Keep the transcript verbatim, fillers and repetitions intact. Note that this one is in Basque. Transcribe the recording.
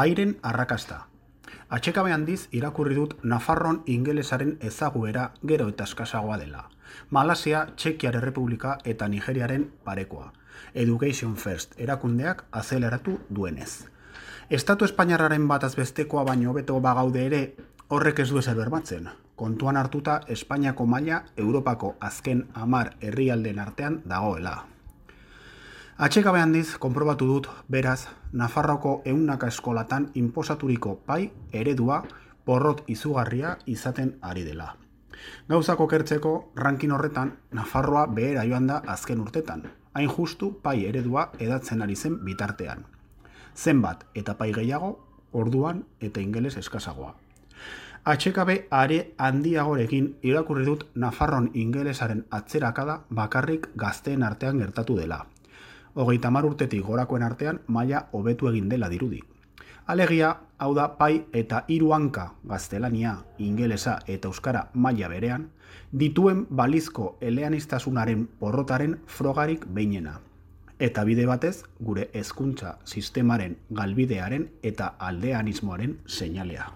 Pairen arrakasta. Atxekabe handiz irakurri dut Nafarroan ingelesaren ezaguera gero eta eskasagoa dela. Malasia, Txekiar Errepublika eta Nigeriaren parekoa. Education First erakundeak azeleratu duenez. Estatu Espainiarraren bataz bestekoa baino hobeto bagaude ere, horrek ez du ezer bermatzen. Kontuan hartuta Espainiako maila Europako azken hamar herrialdeen artean dagoela. Atxekabe handiz konprobatu dut, beraz, Nafarroko ehunaka eskolatan inposaturiko pai eredua porrot izugarria izaten ari dela. Gauzak okertzeko, rankin horretan, Nafarroa behera joan da azken urtetan, hain justu pai eredua edatzen ari zen bitartean. Zenbat eta pai gehiago, orduan eta ingeles eskasagoa. Atxekabe are handiagorekin irakurri dut Nafarroan ingelesaren atzerakada bakarrik gazteen artean gertatu dela. Hogeita hamar urtetik gorakoen artean maila hobetu egin dela dirudi. Alegia, hau da pai eta hiru hanka gaztelania, ingelesa eta euskara maila berean, dituen balizko eleaniztasunaren porrotaren frogarik behinena. Eta bide batez, gure hezkuntza sistemaren galbidearen eta aldeanismoaren seinalea.